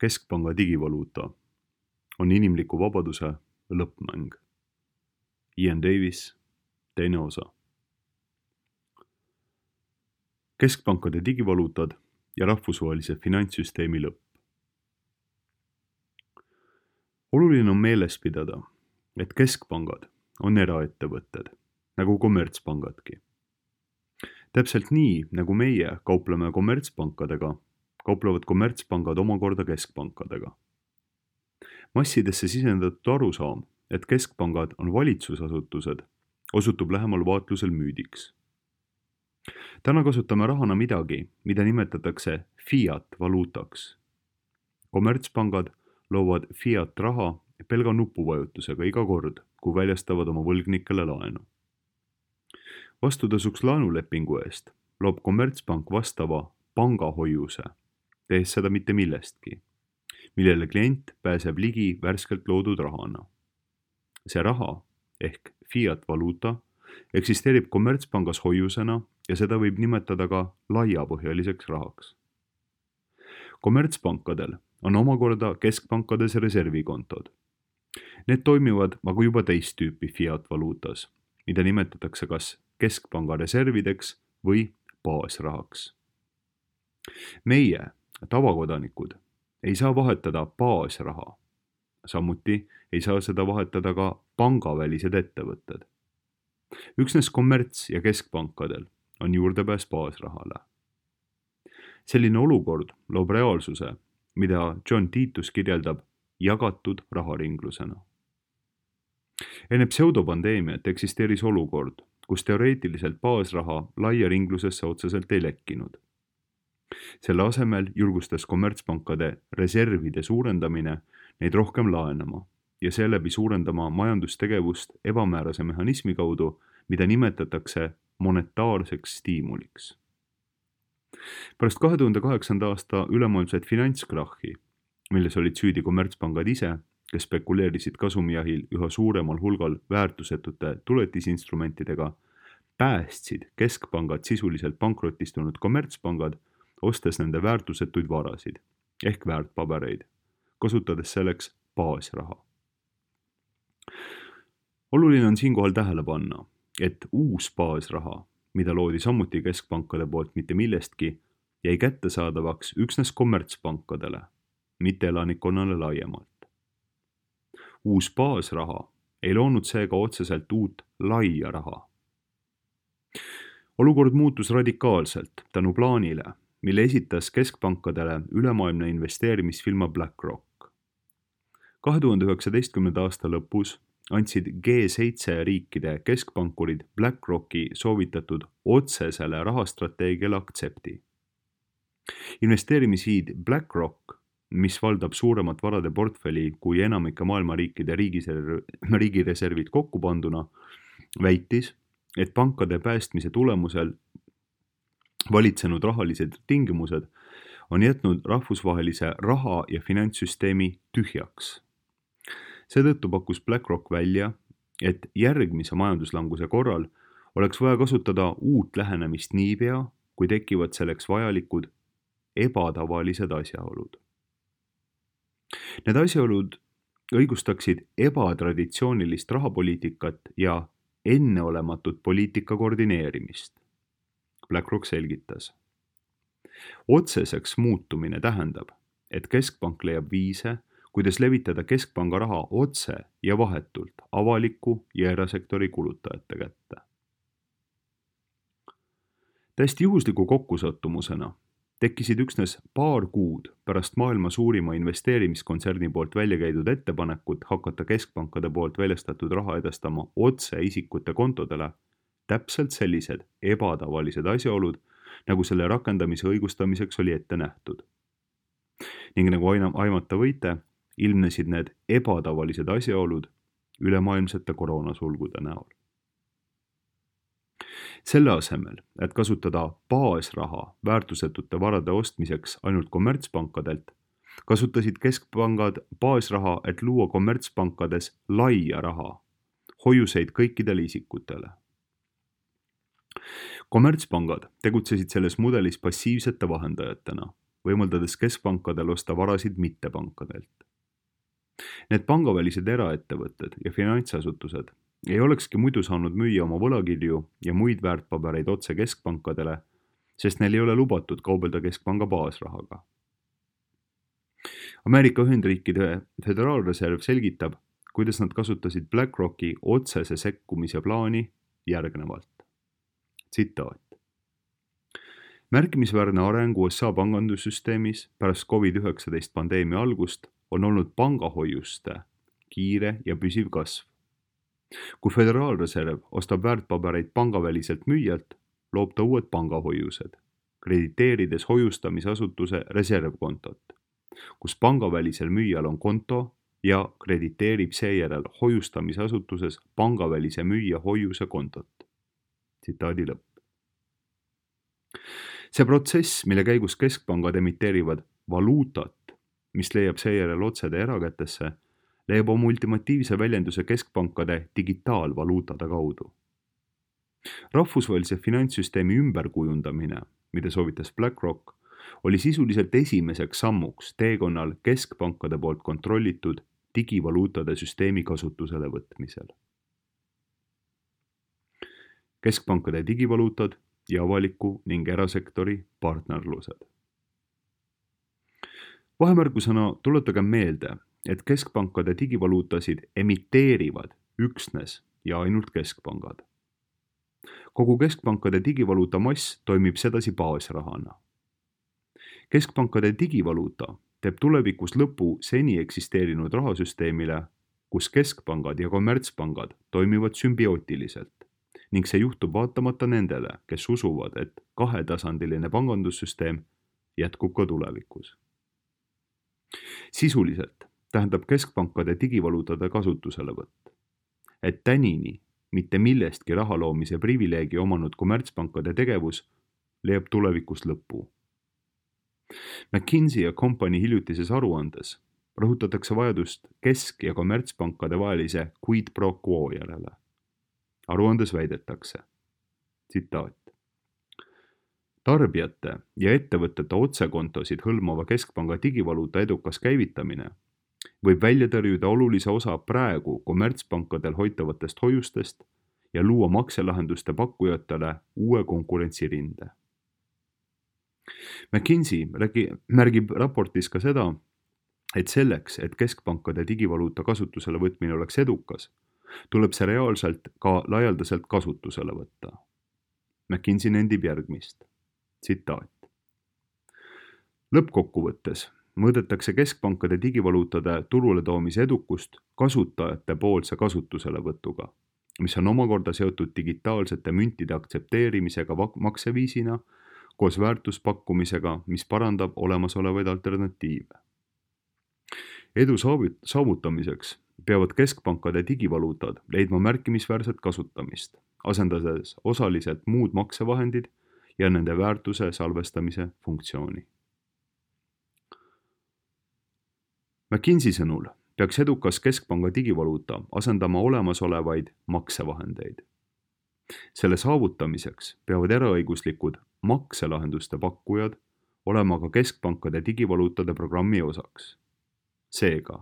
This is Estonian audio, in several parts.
keskpanga digivaluuta on inimliku vabaduse lõppmäng. Ian Davis, teine osa. Keskpankade digivaluutad ja rahvusvahelise finantssüsteemi lõpp. Oluline on meeles pidada, et keskpangad on eraettevõtted, nagu kommertspangadki. Täpselt nii, nagu meie kaupleme kommertspankadega, kauplevad kommertspangad omakorda keskpankadega. Massidesse sisendatud arusaam, et keskpangad on valitsusasutused, osutub lähemal vaatlusel müüdiks. Täna kasutame rahana midagi, mida nimetatakse fiat-valuutaks. Kommertspangad loovad fiat-raha pelga nupuvajutusega iga kord, kui väljastavad oma võlgnikele laenu. Vastutasuks laenulepingu eest loob kommertspank vastava pangahoiuse, tehes seda mitte millestki, millele klient pääseb ligi värskelt loodud rahana. See raha ehk fiat-valuuta eksisteerib kommertspangas hoiusena ja seda võib nimetada ka laiapõhjaliseks rahaks. Kommertspankadel on omakorda keskpankades reservikontod. Need toimivad aga juba teist tüüpi fiat-valuutas, mida nimetatakse kas keskpanga reservideks või baasrahaks. Meie, tavakodanikud, ei saa vahetada baasraha. Samuti ei saa seda vahetada ka pangavälised ettevõtted. Üksnes kommerts- ja keskpankadel on juurdepääs baasrahale. Selline olukord loob reaalsuse, mida John Titus kirjeldab jagatud raharinglusena. Enne pseudopandeemiat eksisteeris olukord, kus teoreetiliselt baasraha laia ringlusesse otseselt ei lekkinud. Selle asemel julgustas kommertspankade reservide suurendamine neid rohkem laenama ja seeläbi suurendama majandustegevust ebamäärase mehhanismi kaudu, mida nimetatakse monetaarseks stiimuliks. Pärast 2008. aasta ülemaailmset finantskrahhi, milles olid süüdi kommertspangad ise, kes spekuleerisid kasumijahil üha suuremal hulgal väärtusetute tuletisinstrumentidega, päästsid keskpangad sisuliselt pankrotistunud kommertspangad, ostes nende väärtusetuid varasid ehk väärtpabereid, kasutades selleks baasraha. Oluline on siinkohal tähele panna, et uus baasraha, mida loodi samuti keskpankade poolt mitte millestki, jäi kättesaadavaks üksnes kommertspankadele, mitte elanikkonnale laiemalt. Uus baasraha ei loonud seega otseselt uut laia raha. Olukord muutus radikaalselt tänu plaanile, mille esitas keskpankadele ülemaailmne investeerimisfirma BlackRock. 2019. aasta lõpus andsid G7 riikide keskpankurid BlackRocki soovitatud otsesele rahastrateegiale aktsepti. Investeerimishiid BlackRock, mis valdab suuremat varade portfelli kui enamike maailma riikide riigireservid kokku panduna, väitis, et pankade päästmise tulemusel valitsenud rahalised tingimused on jätnud rahvusvahelise raha- ja finantssüsteemi tühjaks. Seetõttu pakkus BlackRock välja, et järgmise majanduslanguse korral oleks vaja kasutada uut lähenemist niipea, kui tekivad selleks vajalikud ebatavalised asjaolud. Need asjaolud õigustaksid ebatraditsioonilist rahapoliitikat ja enneolematut poliitika koordineerimist. BlackRock selgitas. Otseseks muutumine tähendab, et keskpank leiab viise, kuidas levitada keskpanga raha otse ja vahetult avaliku ja erasektori kulutajate kätte. Täiesti juhusliku kokkusattumusena tekkisid üksnes paar kuud pärast maailma suurima investeerimiskontserni poolt välja käidud ettepanekut hakata keskpankade poolt väljastatud raha edastama otse isikute kontodele täpselt sellised ebatavalised asjaolud, nagu selle rakendamise õigustamiseks oli ette nähtud. Ning nagu aimata võite, ilmnesid need ebatavalised asjaolud ülemaailmsete koroonasulgude näol. Selle asemel, et kasutada baasraha väärtusetute varade ostmiseks ainult kommertspankadelt, kasutasid keskpangad baasraha, et luua kommertspankades laia raha, hoiuseid kõikidele isikutele. Kommertspangad tegutsesid selles mudelis passiivsete vahendajatena, võimaldades keskpankadel osta varasid mittepankadelt. Need pangavälised eraettevõtted ja finantsasutused ei olekski muidu saanud müüa oma võlakirju ja muid väärtpabereid otse keskpankadele, sest neil ei ole lubatud kaubelda keskpanga baasrahaga. Ameerika Ühendriikide Föderaalreserv selgitab, kuidas nad kasutasid BlackRocki otsese sekkumise plaani järgnevalt. Tsitaat. Märkimisväärne areng USA pangandussüsteemis pärast COVID-19 pandeemia algust on olnud pangahoiuste kiire ja püsiv kasv. Kui Föderaalreserv ostab väärtpabereid pangaväliselt müüjalt, loob ta uued pangahoiused, krediteerides hoiustamisasutuse reservkontot, kus pangavälisel müüjal on konto ja krediteerib seejärel hoiustamisasutuses pangavälise müüja hoiuse kontot. Tsitaadi lõpp. See protsess, mille käigus keskpangad emiteerivad valuutat, mis leiab seejärel otsede erakätesse, leiab oma ultimatiivse väljenduse keskpankade digitaalvaluutade kaudu. Rahvusvahelise finantssüsteemi ümberkujundamine, mida soovitas BlackRock, oli sisuliselt esimeseks sammuks teekonnal keskpankade poolt kontrollitud digivaluutade süsteemi kasutusele võtmisel. Keskpankade digivaluutad ja avaliku ning erasektori partnerlused. Vahemärkusena tuletagem meelde, et keskpankade digivaluutasid emiteerivad üksnes ja ainult keskpangad. Kogu keskpankade digivaluuta mass toimib sedasi baasrahana. Keskpankade digivaluuta teeb tulevikus lõpu seni eksisteerinud rahasüsteemile, kus keskpangad ja kommertspangad toimivad sümbiootiliselt ning see juhtub vaatamata nendele, kes usuvad, et kahetasandiline pangandussüsteem jätkub ka tulevikus. Sisuliselt tähendab keskpankade digivaluutade kasutuselevõtt, et tänini mitte millestki raha loomise privileegi omanud kommertspankade tegevus leiab tulevikus lõpu. McKinsey & Company hiljutises aruandes rõhutatakse vajadust kesk- ja kommertspankade vahelise quid pro quo järele. Aruandes väidetakse, tsitaat. Tarbijate ja ettevõtete otsekontosid hõlmava keskpanga digivaluuta edukas käivitamine võib välja tõrjuda olulise osa praegu kommertspankadel hoitavatest hoiustest ja luua makselahenduste pakkujatele uue konkurentsirinde. McKinsey märgib raportis ka seda, et selleks, et keskpankade digivaluuta kasutusele võtmine oleks edukas, tuleb see reaalselt ka laialdaselt kasutusele võtta. McKinsey nendib järgmist. Tsitaat. Lõppkokkuvõttes mõõdetakse keskpankade digivaluutade turule toomise edukust kasutajate poolse kasutuselevõtuga, mis on omakorda seotud digitaalsete müntide aktsepteerimisega makseviisina koos väärtuspakkumisega, mis parandab olemasolevaid alternatiive. Edu saavutamiseks peavad keskpankade digivaluutad leidma märkimisväärset kasutamist, asendades osaliselt muud maksevahendid ja nende väärtuse salvestamise funktsiooni. McKinsey sõnul peaks edukas keskpanga digivaluuta asendama olemasolevaid maksevahendeid. Selle saavutamiseks peavad eraõiguslikud makselahenduste pakkujad olema ka keskpankade digivaluutade programmi osaks. Seega,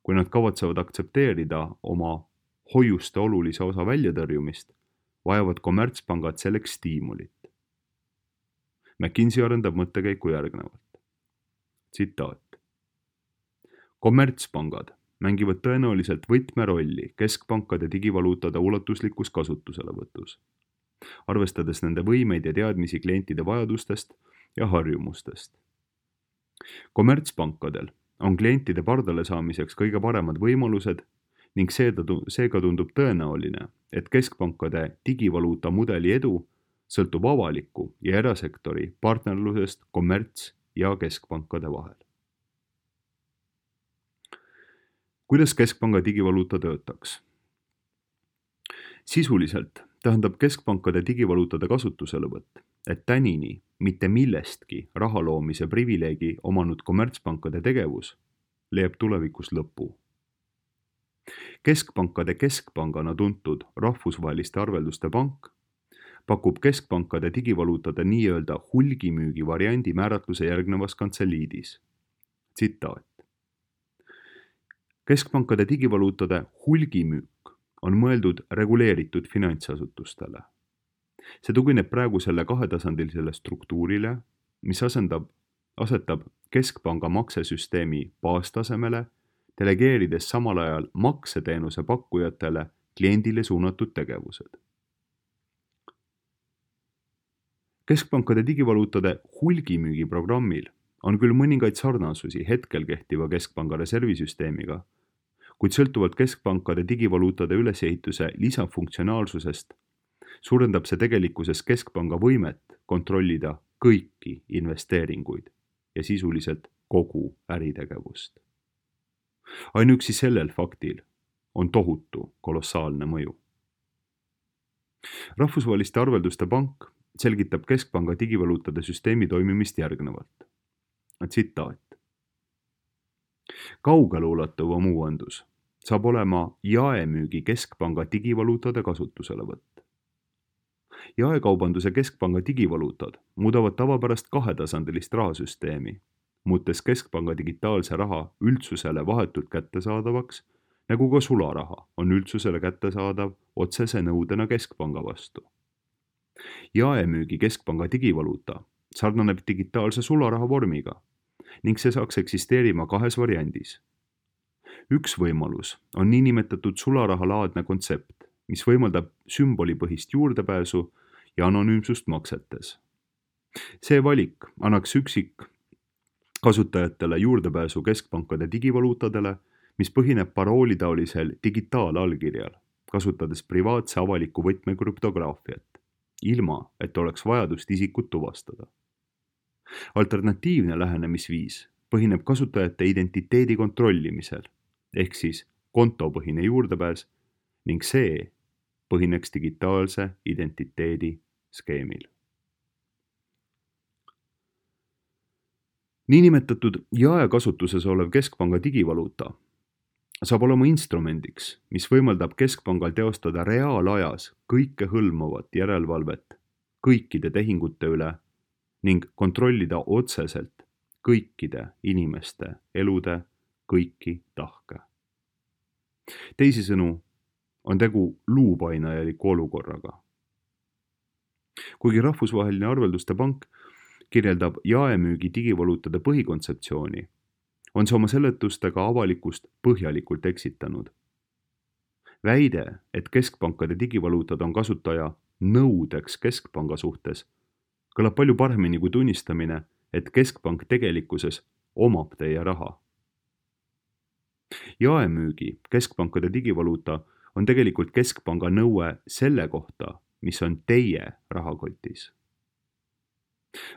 kui nad kavatsevad aktsepteerida oma hoiuste olulise osa väljatõrjumist, vajavad kommertspangad selleks stiimulit. McKinsey arendab mõttekäiku järgnevalt. Tsitaat. Kommertspangad mängivad tõenäoliselt võtmerolli keskpankade digivaluutade ulatuslikus kasutuselevõtus, arvestades nende võimeid ja teadmisi klientide vajadustest ja harjumustest. Kommertspankadel on klientide pardale saamiseks kõige paremad võimalused ning seega tundub tõenäoline, et keskpankade digivaluuta mudeli edu sõltub avaliku ja erasektori partnerlusest kommerts- ja keskpankade vahel. Kuidas keskpanga digivaluuta töötaks? Sisuliselt tähendab keskpankade digivaluutade kasutuselevõtt, et tänini mitte millestki raha loomise privileegi omanud kommertspankade tegevus leiab tulevikus lõpu. Keskpankade keskpangana tuntud rahvusvaheliste arvelduste pank pakub keskpankade digivaluutade nii-öelda hulgimüügi variandi määratluse järgnevas kantseliidis. Tsitaat. Keskpankade digivaluutade hulgimüük on mõeldud reguleeritud finantsasutustele. See tugineb praegusele kahetasandilisele struktuurile, mis asetab keskpanga maksesüsteemi baastasemele, delegeerides samal ajal makseteenuse pakkujatele kliendile suunatud tegevused. Keskpankade digivaluutade hulgimüügi programmil on küll mõningaid sarnasusi hetkel kehtiva keskpanga reservisüsteemiga, kuid sõltuvalt keskpankade digivaluutade ülesehituse lisafunktsionaalsusest suurendab see tegelikkuses keskpanga võimet kontrollida kõiki investeeringuid ja sisuliselt kogu äritegevust. Ainuüksi sellel faktil on tohutu kolossaalne mõju. Rahvusvaheliste arvelduste pank selgitab keskpanga digivaluutade süsteemi toimimist järgnevalt. Tsitaat. Kaugeleulatuvam uuendus saab olema jaemüügi keskpanga digivaluutade kasutuselevõtt. Jaekaubanduse keskpanga digivaluutad muudavad tavapärast kahetasandilist rahasüsteemi, muutes keskpanga digitaalse raha üldsusele vahetult kättesaadavaks, nagu ka sularaha on üldsusele kättesaadav otsese nõudena keskpanga vastu. Jaemüügi keskpanga digivaluuta sarnaneb digitaalse sularaha vormiga ning see saaks eksisteerima kahes variandis. Üks võimalus on niinimetatud sularahalaadne kontsept, mis võimaldab sümbolipõhist juurdepääsu ja anonüümsust maksetes. See valik annaks kasutajatele juurdepääsu keskpankade digivaluutadele, mis põhineb paroolitaolisel digitaalallkirjal, kasutades privaatse avaliku võtme krüptograafiat, ilma et oleks vajadust isikut tuvastada. Alternatiivne lähenemisviis põhineb kasutajate identiteedi kontrollimisel, ehk siis kontopõhine juurdepääs ning see põhineks digitaalse identiteedi skeemil. Niinimetatud jaekasutuses olev keskpanga digivaluuta saab olema instrumendiks, mis võimaldab keskpangal teostada reaalajas kõikehõlmavat järelevalvet kõikide tehingute üle ning kontrollida otseselt kõikide inimeste elude kõiki tahke. Teisisõnu on tegu luupainajaliku olukorraga. Kuigi Rahvusvaheline arvelduste pank kirjeldab jaemüügi digivaluutade põhikontseptsiooni, on see oma seletustega avalikkust põhjalikult eksitanud. Väide, et keskpankade digivaluutad on kasutaja nõudeks keskpanga suhtes, kõlab palju paremini kui tunnistamine, et keskpank tegelikkuses omab teie raha. Jaemüügi keskpankade digivaluuta on tegelikult keskpanga nõue selle kohta, mis on teie rahakotis.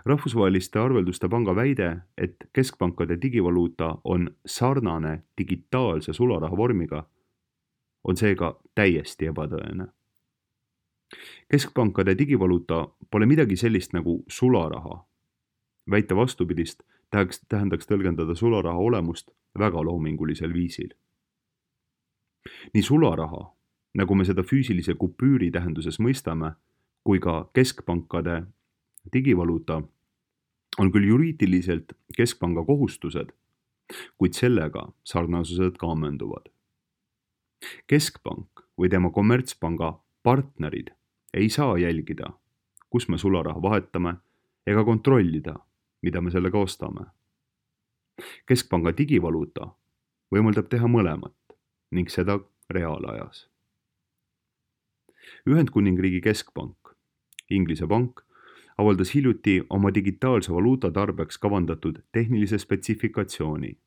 Rahvusvaheliste arvelduste panga väide, et keskpankade digivaluuta on sarnane digitaalse sularaha vormiga, on seega täiesti ebatõene. Keskpankade digivaluuta pole midagi sellist nagu sularaha. Väite vastupidist tähendaks tõlgendada sularaha olemust väga loomingulisel viisil. Nii sularaha, nagu me seda füüsilise kupüüri tähenduses mõistame, kui ka keskpankade digivaluuta on küll juriidiliselt keskpanga kohustused, kuid sellega sarnasused ka ammenduvad. Keskpank või tema kommertspanga partnerid ei saa jälgida, kus me sularaha vahetame ega kontrollida, mida me sellega ostame. Keskpanga digivaluuta võimaldab teha mõlemat ning seda reaalajas. Ühendkuningriigi keskpank, Inglise pank, avaldas hiljuti oma digitaalse valuuta tarbeks kavandatud tehnilise spetsifikatsiooni.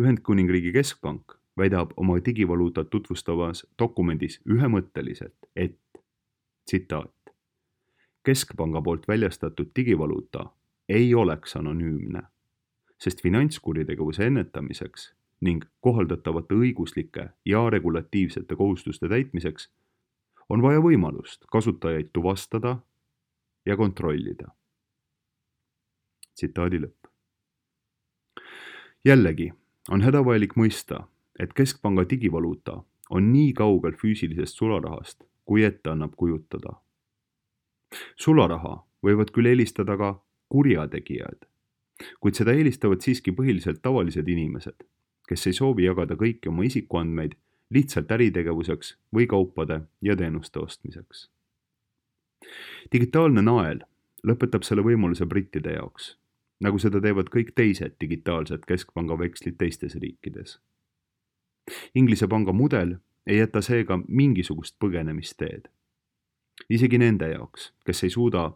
Ühendkuningriigi keskpank väidab oma digivaluutat tutvustavas dokumendis ühemõtteliselt, et, tsitaat, keskpanga poolt väljastatud digivaluuta ei oleks anonüümne, sest finantskuritegevuse ennetamiseks ning kohaldatavate õiguslike ja regulatiivsete kohustuste täitmiseks on vaja võimalust kasutajaid tuvastada ja kontrollida. Tsitaadi lõpp. Jällegi on hädavajalik mõista, et keskpanga digivaluuta on nii kaugel füüsilisest sularahast, kui ette annab kujutada. Sularaha võivad küll eelistada ka kurjategijad, kuid seda eelistavad siiski põhiliselt tavalised inimesed, kes ei soovi jagada kõiki oma isikuandmeid lihtsalt äritegevuseks või kaupade ja teenuste ostmiseks. Digitaalne nael lõpetab selle võimaluse brittide jaoks, nagu seda teevad kõik teised digitaalsed keskpanga vekslid teistes riikides. Inglise panga mudel ei jäta seega mingisugust põgenemisteed. Isegi nende jaoks, kes ei suuda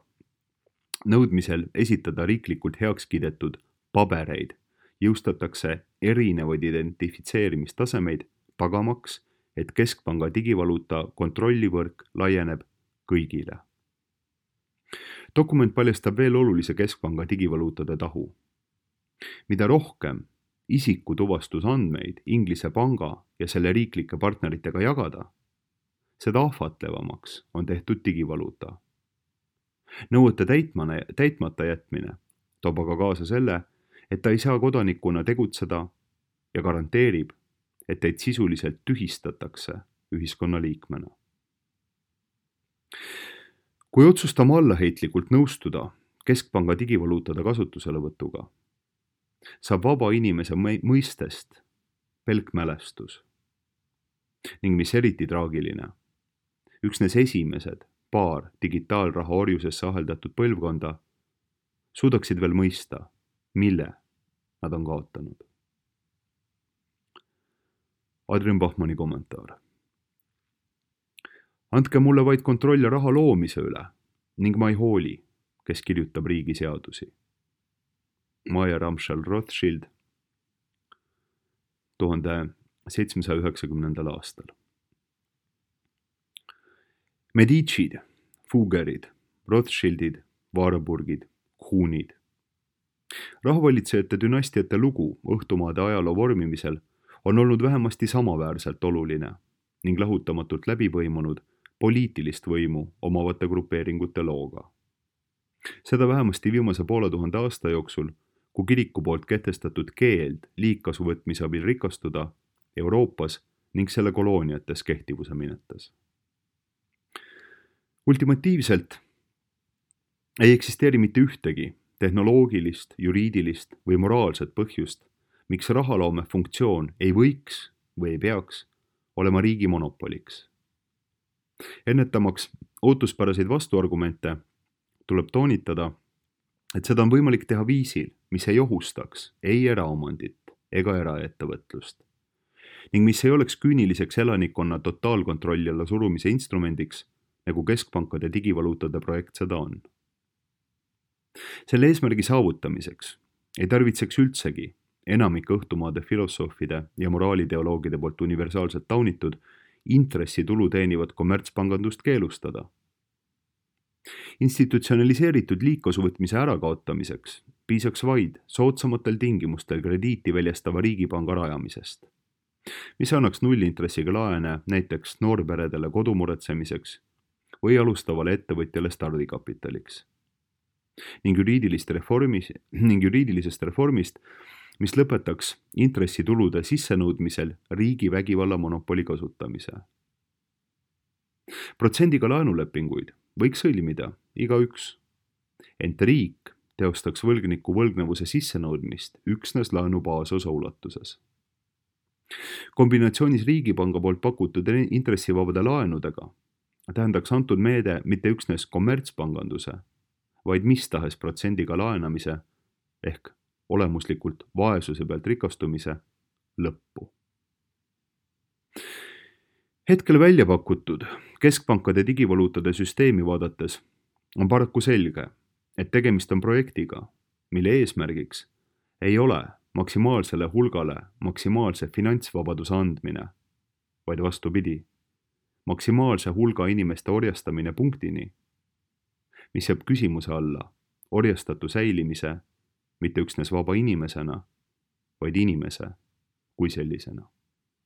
nõudmisel esitada riiklikult heaks kiidetud pabereid, jõustatakse erinevaid identifitseerimistasemeid, tagamaks, et keskpanga digivaluuta kontrollivõrk laieneb kõigile. Dokument paljastab veel olulise keskpanga digivaluutade tahu. Mida rohkem isikutuvastusandmeid Inglise panga ja selle riiklike partneritega jagada, seda ahvatlevamaks on tehtud digivaluuta. Nõuete täitmata jätmine toob aga kaasa selle, et ta ei saa kodanikuna tegutseda ja garanteerib, et teid sisuliselt tühistatakse ühiskonnaliikmena. Kui otsustame allaheitlikult nõustuda keskpanga digivaluutade kasutuselevõtuga, saab vaba inimese mõistest pelk mälestus. Ning mis eriti traagiline, üksnes esimesed paar digitaalraha orjusesse aheldatud põlvkonda suudaksid veel mõista, mille nad on kaotanud. Adrian Bachmanni kommentaar. Andke mulle vaid kontroll raha loomise üle ning ma ei hooli, kes kirjutab riigi seadusi. Maja Ramschel-Rothschild 1790. aastal. Medicid, Fuggerid, Rothschildid, Warburgid, Huunid. Rahavalitsejate dünastiate lugu õhtumaade ajaloo vormimisel on olnud vähemasti samaväärselt oluline ning lahutamatult läbi põimunud poliitilist võimu omavate grupeeringute looga. Seda vähemasti viimase 500 aasta jooksul, kui kiriku poolt kehtestatud keeld liigkasu võtmise abil rikastuda Euroopas ning selle kolooniates kehtivuse minetas. Ultimatiivselt ei eksisteeri mitte ühtegi tehnoloogilist, juriidilist või moraalset põhjust, miks rahaloome funktsioon ei võiks või ei peaks olema riigi monopoliks. Ennetamaks ootuspäraseid vastuargumente tuleb toonitada, et seda on võimalik teha viisil, mis ei ohustaks ei eraomandit ega eraettevõtlust ning mis ei oleks küüniliseks elanikkonna totaalkontrolli alla surumise instrumendiks, nagu keskpankade digivaluutade projekt seda on. Selle eesmärgi saavutamiseks ei tarvitseks üldsegi enamik õhtumaade filosoofide ja moraalideoloogide poolt universaalselt taunitud intressitulu teenivat kommertspangandust keelustada. Institutsionaliseeritud liigkasuvõtmise ärakaotamiseks piisaks vaid soodsamatel tingimustel krediiti väljastava riigipanga rajamisest, mis annaks nullintressiga laene näiteks noorperedele kodumuretsemiseks või alustavale ettevõtjale stardikapitaliks. Ning juriidilisest reformist, mis lõpetaks intressitulude sissenõudmisel riigi vägivalla monopoli kasutamise. Protsendiga laenulepinguid võiks sõlmida igaüks, ent riik teostaks võlgniku võlgnevuse sissenõudmist üksnes laenu baasosa ulatuses. Kombinatsioonis riigipanga poolt pakutud intressivabade laenudega tähendaks antud meede mitte üksnes kommertspanganduse, vaid mis tahes protsendiga laenamise ehk olemuslikult vaesuse pealt rikastumise lõppu. Hetkel välja pakutud keskpankade digivaluutade süsteemi vaadates on paraku selge, et tegemist on projektiga, mille eesmärgiks ei ole maksimaalsele hulgale maksimaalse finantsvabaduse andmine, vaid vastupidi, maksimaalse hulga inimeste orjastamine punktini, mis jääb küsimuse alla orjastatu säilimise mitte üksnes vaba inimesena, vaid inimese kui sellisena.